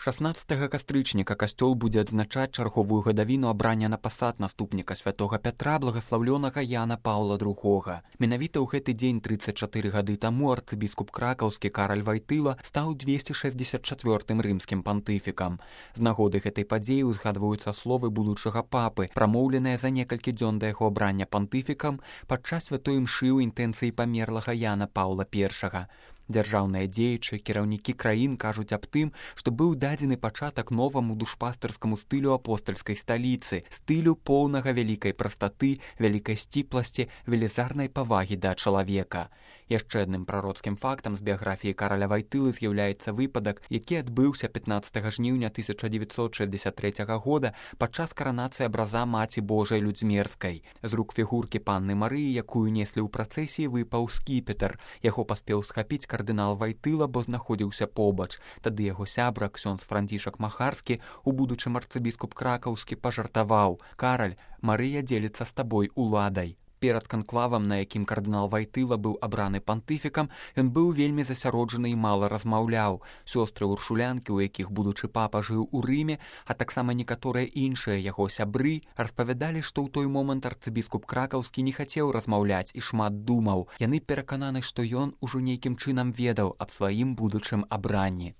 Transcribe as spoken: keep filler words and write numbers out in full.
шаснаццатага кастрычніка касцёл будзе адзначаць чарговую гадавіну абрання на пасад наступніка святога Пятра благаслаўлёнага Яна Паўла другога. Менавіта ў гэты дзень трыццаць чатыры гады таму арцыбіскуп кракаўскі Караль Вайтыла стаў двесце шэсцьдзесят чацвёртым рымскім пантыфікам. З нагоды гэтай падзеі узгадваюцца словы будучага папы, прамоўленыя за некалькі дзён да яго абрання пантыфікам падчас святой імшы ў інтэнцыі памерлага Яна Паўла першага. Дзяржаўныя дзеячы, кіраўнікі краін кажуць аб тым, што быў дадзены пачатак новаму душпастарскаму стылю апостальскай сталіцы, стылю поўнага вялікай прастаты, вялікай сціпласці, велізарнай павагі да чалавека. Яшчэ адным прароцкім фактам з біяграфіі Караля Вайтылы з'яўляецца выпадак, які адбыўся пятнаццатага жніўня тысяча дзевяцьсот шэсцьдзесят трэцяга года падчас каранацыі абраза Маці Божай Людзьмерскай. З рук фігуркі панны Марыі, якую неслі ў працэсіі, выпаў скіпетр. Яго паспеў схапіць кардынал Вайтыла, бо знаходзіўся побач. Тады яго сябра, ксёндз Францішак Махарскі, у будучым арцыбіскуп кракаўскі, пажартаваў: «Караль, Марыя дзеліцца з табой уладай». Перад канклавам, на якім кардынал Вайтыла быў абраны пантыфікам, ён быў вельмі засяроджаны і мала размаўляў. Сёстры уршулянкі, у якіх будучы папа жыў у Рыме, а таксама некаторыя іншыя яго сябры, распавядалі, што ў той момант арцыбіскуп кракаўскі не хацеў размаўляць і шмат думаў. Яны перакананы, што ён ужо нейкім чынам ведаў аб сваім будучым абранні.